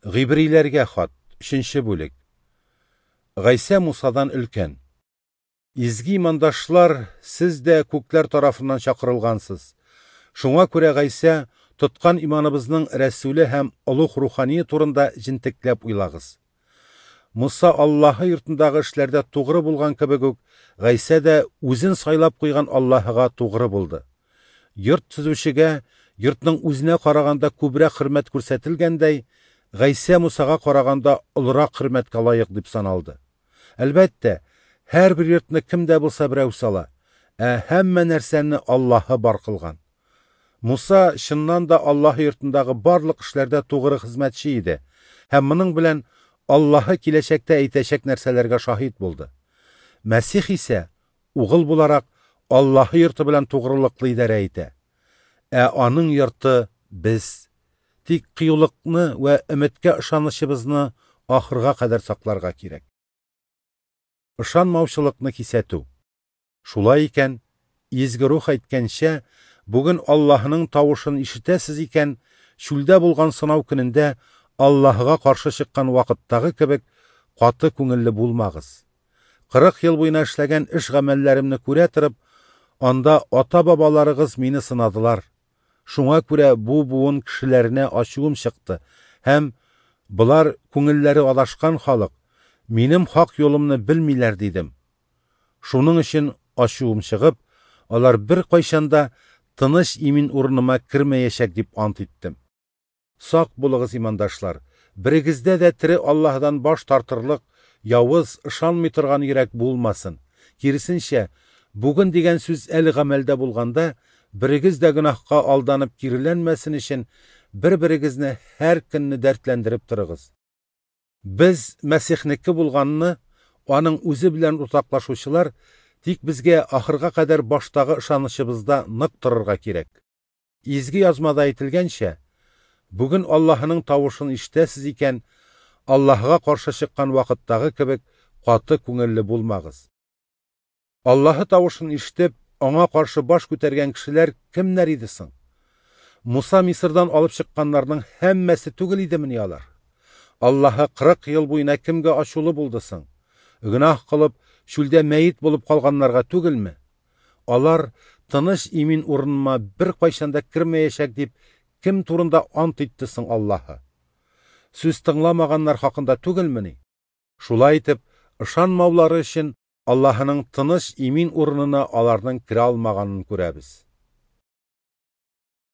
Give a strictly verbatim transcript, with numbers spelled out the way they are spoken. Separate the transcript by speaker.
Speaker 1: Гыйбриләргә хат, өченче бүлек. Гайсә Мусадан өлкән. Изге имандашлар, сез дә күкләр тарафыннан чакырылгансыз. Шуңа күрә Гайсә тоткан иманыбызның рәсүле һәм олуг рухание турында җентекләп уйлагыз. Муса Аллаһы йортындагы эшләрдә тугры булган кебек үк, Гайсә дә үзен сайлап куйган Аллаһыга тугры булды. Йорт төзүчегә йортның үзенә караганда күбрәк хөрмәт күрсәтелгәндәй, Гайсә Мусага караганда олырак хөрмәткә лаек дип саналды. Әлбәттә, һәрбер йортны кем дә булса берәү сала, ә һәммә нәрсәне Аллаһы бар кылган. Муса чыннан да Аллаһы йортындагы барлык эшләрдә тугры хезмәтче иде һәм моның белән Аллаһы киләчәктә әйтәчәк нәрсәләргә шаһит булды. Мәсих исә угыл буларак Аллаһы йорты белән тугрылыклы идарә итә. Ә аның йорты без. Тик кыюлыкны вә өметкә ышанычыбызны ахырга кадәр сакларга кирәк. Ышанмаучылыкны кисәтү. Шулай икән, Изге Рух әйткәнчә, бүген Аллаһының тавышын ишетәсез икән, чүлдә булган сынау көнендә Аллаһыга каршы чыккан вакыттагы кебек каты күңелле булмагыз. Кырык ел буена эшләгән эш гамәлләремне күрә торып, анда ата-бабаларыгыз мине сынадылар. Шуңа күрә бу буын кешеләренә ачуым чыкты һәм болар күңелләре адашкан халык, минем хак юлымны белмиләр дидем. Шуның өчен ачуым чыгып, алар бер кайчан да тыныч имин урыныма кермәячәк дип ант иттем. Сак булыгыз, имандашлар, берегездә дә тере Аллаһыдан баш тартырлык, явыз, ышанмый торган йөрәк булмасын. Киресенчә, бүген дигән сүз әле гамәлдә булганда, берегез дә гөнаһка алданып киреләнмәсен өчен бер-берегезне һәр көнне дәртләндереп торыгыз. Без Мәсихнеке булганны, аның үзе белән уртаклашучылар, тик безгә ахырга кадәр баштагы ышанычыбызда нык торырга кирәк. Изге язмада әйтелгәнчә, бүген Аллаһының тавышын ишетәсез икән, Аллаһыга каршы чыккан вакыттагы кебек каты күңелле булмагыз. Аллаһы тавышын ишетеп, аңа каршы баш күтәргән кешеләр кемнәр иде соң? Муса Мисырдан алып чыкканнарның һәммәсе түгел идемени алар? Аллаһы кырык ел буена кемгә ачулы булды соң? Гөнаһ кылып, чүлдә мәет булып калганнарга түгелме? Алар тыныч имин урыныма бер кайчан да кермәячәк дип кем турында ант итте соң Аллаһы? Сүз тыңламаганнар хакында түгелмени? Шулай итеп, ышанмаулары өчен Аллаһының тыныч имин урынына аларның керә алмаганын күрәбез.